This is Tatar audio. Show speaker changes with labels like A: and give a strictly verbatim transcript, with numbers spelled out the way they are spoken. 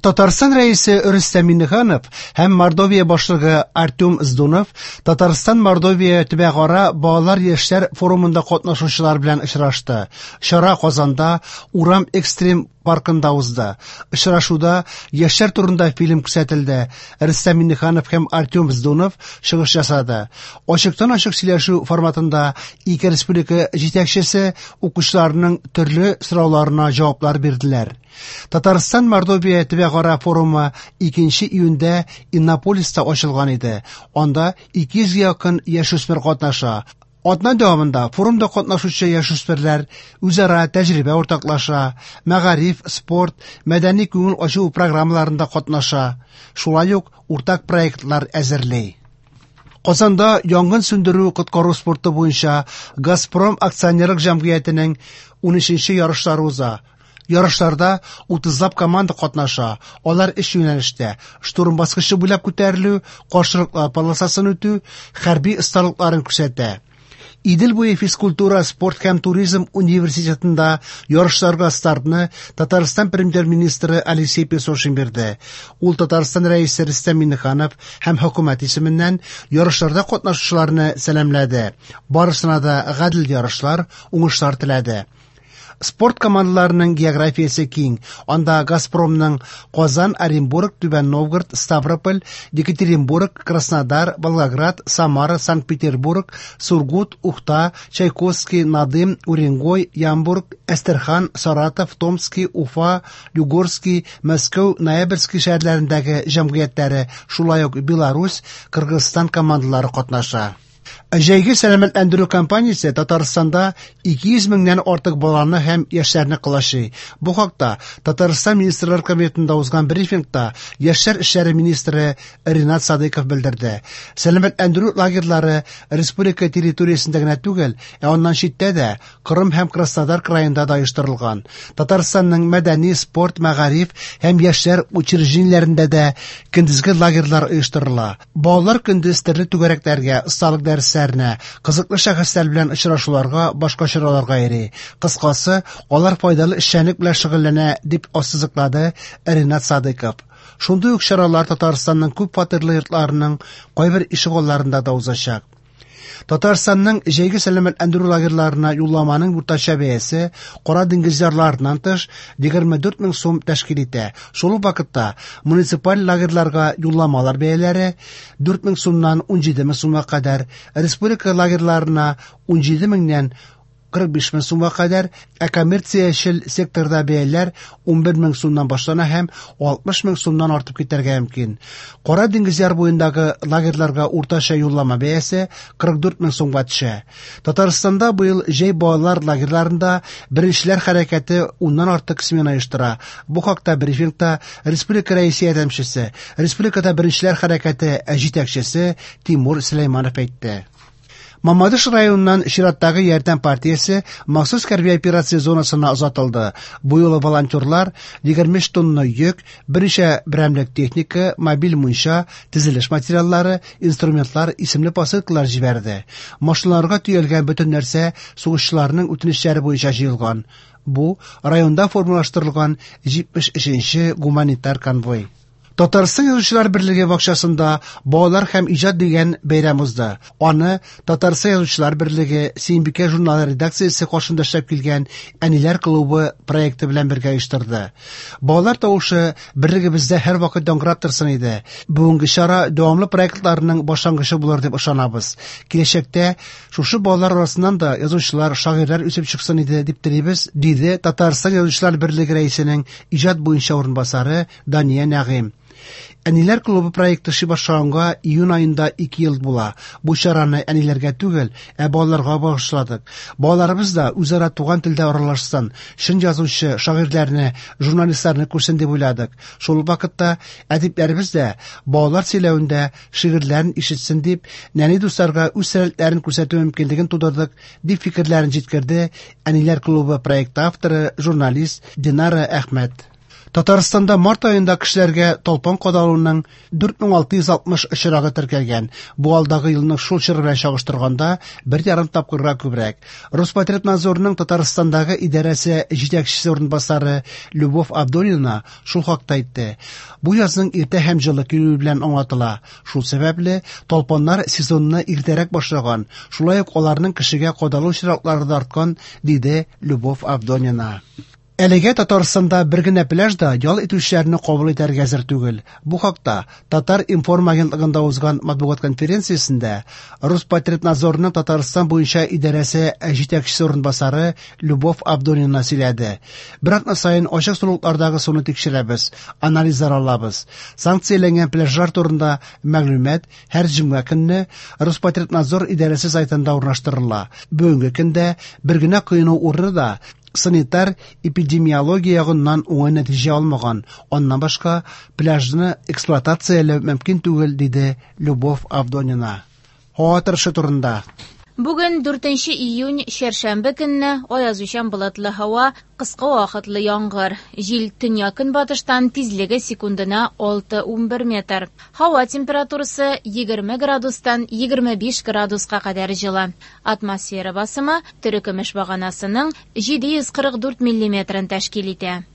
A: Татарстан Рәисе Рөстәм Миңнеханов һәм Мордовия башлыгы Артем Здунов Татарстан Мордовия төбәкара балалар яшьләр форумында катнашучылар белән очрашты. Чара Казанда Урам экстрим паркында узды. Очрашуда яшьләр турында фильм күрсәтелде. Рөстәм Миңнеханов һәм Артем Здунов чыгыш ясады. Ачыктан-ачык сөйләшү форматында ике республика җитәкчесе укучыларның төрле сорауларына җаваплар бирделәр. Татарстан Мордовия төбәкара форумы икенче июньдә Иннополиста ачылган иде. Анда ике йөзгә якын яшүсмер катнаша. Атна дәвамында форумда катнашучы яшүсмерләр үзара тәҗрибә уртаклаша, мәгариф, спорт, мәдәни күңел ачу программаларында катнаша, шулай ук уртак проектлар әзерли. Казанда янгын сүндерү коткару спорты буенча Газпром акционерлык җәмгыятенең унөченче ярышлары уза. Ярышларда утызлап команда катнаша. Алар өч юнәлештә: штурм баскычы буйлап күтәрелү, каршылыклар полосасын үтү, хәрби осталыкларын күрсәтә. Идел буе физкультура, спорт һәм туризм университетында ярышларга стартны Татарстан премьер-министры Алексей Песошин бирде. Ул Татарстан Рәисе Рөстәм Миңнеханов һәм хөкүмәт исеменнән ярышларда катнашучыларны сәламләде. Барысына да гадел ярышлар, уңышлар теләде. Спорт командаларының географиясе киң. Анда Газпромның Казан, Оренбург, Түбән Новгород, Ставрополь, Екатеринбург, Краснодар, Волгоград, Самара, Санкт-Петербург, Сургут, Ухта, Чайковский, Надым, Уренгой, Ямбург, Әстерхан, Саратов, Томский, Уфа, Югорский, Мәскәү, Ноябрьский шәһәрләрендәге җәмгыятьләре, шулай ук Беларусь, Кыргызстан командалары катнаша. Җәйге сәламәтләндерү кампаниясе Татарстанда ике йөз меңнән артык баланы һәм яшьләрне кылачый. Бу хакта Татарстан Министрлар Кабинетында узган брифингта Яшьләр эшләре министры Ринат Садыйков белдерде. Сәламәтләндерү лагерьлары республика территориясендә генә түгел, ә аннан читтә дә Кырым һәм Краснодар краенда да оештырылган. Татарстанның мәдәни, спорт, мәгариф һәм яшьләр учреждениеләрендә дә көндезге лагерьлар оештырыла. Балалар көндез төрле түгәрәкләргә, осталык дәресләренә, кызыклы шәхесләр белән очрашуларга, башка чараларга йөри. Кыскасы, алар файдалы эшчәнлек белән шөгыльләнә, дип ассызыклады Ринат Садыйков. Шундый ук чаралар Татарстанның күп фатирлы йортларының кайбер ишегалларында да узачак. Татарстанның җәйге сәламәтләндерү лагерьларына юлламаның уртача бәясе Кара диңгез ярларыннан тыш егерме дүрт мең сум тәшкил итә. Шул ук вакытта муниципаль лагерьларга юлламалар бәяләре дүрт мең сумнан ун җиде мең сумга кадәр, республика лагерьларына ун җиде меңнән кырык биш мең сумга кадәр, ә коммерциячел секторда бәяләр ун бер мең сумнан башлана һәм алтмыш мең сумнан артып китәргә мөмкин. Кара диңгез яр буендагы лагерьларга уртача юллама бәясе кырык дүрт мең сумга төшә. Татарстанда быел җәй балалар лагерьларында беренчеләр хәрәкәте уннан артык смена оештыра. Бу хакта брифингта республика рәисе ярдәмчесе, республикада беренчеләр хәрәкәте җитәкчесе Тимур Сөләйманов әйтте. Мамадыш районыннан чираттагы ярдәм партиясе махсус хәрби операция зонасына озатылды. Бу юлы волонтерлар егерме өч тонна йөк, берничә берәмлек техника, мобиль мунча, төзелеш материаллары, инструментлар исемле посылкалар җибәрде. Машиналарга төялгән бөтен нәрсә сугышчыларның үтенечләре буенча җыелган. Бу районда формалаштырылган җитмеш өченче гуманитар конвой. Татарстан Язучылар берлеге бакчасында Балалар һәм иҗат дигән бәйрәм узды. Аны Татарстан Язучылар берлеге Сөембикә журналы редакциясе каршында эшләп килгән Әниләр клубы проекты белән бергә оештырды. Балалар тавышы берлегебездә һәрвакыт яңгырап торсын иде. Бүгенге чара дәвамлы проектларның башлангычы булыр дип ышанабыз. Киләчәктә шушы балалар арасыннан да язучылар, шагыйрьләр үсеп чыксын иде дип телибез, диде Татарстан Язучылар берлеге рәисенең иҗат буенча урынбасары Дания Нәгыйм. Әниләр клубы проекты эшли башлаганга июнь аенда ике ел була. Бу чараны әниләргә түгел, ә балаларга багышладык. Балаларыбыз да үзара туган телдә аралашсын, чын язучы, шагыйрьләрне, журналистларны күрсен дип уйладык. Шул ук вакытта әдипләребез дә балалар сөйләвендә шигырьләрен ишетсен дип, нәни дусларга үз сәләтләрен күрсәтү мөмкинлеген тудырдык, дип фикерләрен җиткерде Әниләр клубы проекты авторы, журналист Динара Әхмәт. Татарстанда март аенда кешеләргә талпан кадалуның дүрт мең алты йөз алтмыш очрагы теркәлгән. Бу алдагы елның шул чоры белән чагыштырганда бер ярым тапкырга күбрәк. Роспотребнадзорның Татарстандагы идарәсе җитәкчесе урынбасары Любовь Авдонина шул хакта әйтте. Бу язның иртә һәм җылы килүе белән аңлатыла. Шул сәбәпле талпаннар сезонны иртәрәк башлаган, шулай ук аларның кешегә кадалу очраклары да арткан, диде Любовь Авдонина. Әлегә Татарстанда бер генә пляж да ял итүчеләрне кабул итәргә әзер түгел. Бу хакта Татар-информ агентлыгында узган матбугат конференциясендә Роспотребнадзорның Татарстан буенча идарәсе җитәкчесе урынбасары Любовь Авдонина сөйләде. Бер атна саен ачык сулыклардагы суны тикшерәбез, анализлар алабыз. Санкцияләнгән пляжлар турында мәгълүмат һәр җомга көнне Роспотребнадзор идарәсе сайтында урнаштырыла. Бүгенге көндә бер генә коену урыны да санитар эпидемиология ягыннан уңай нәтиҗә алмаган. Аннан башка пляжны эксплуатацияләү мөмкин түгел, диде Любовь Авдонина. Һава торышы турында.
B: Бүген дүртенче июнь чәршәмбе көнне аязучан болытлы һава, кыска вакытлы яңгыр. Җил төньяк-көнбатыштан, тизлеге секундына алты унбер метр. Һава температурасы егерме градустан егерме биш градуска кадәр җылы. Атмосфера басымы терекөмеш баганасының җиде йөз кырык дүрт миллиметрын тәшкил итә.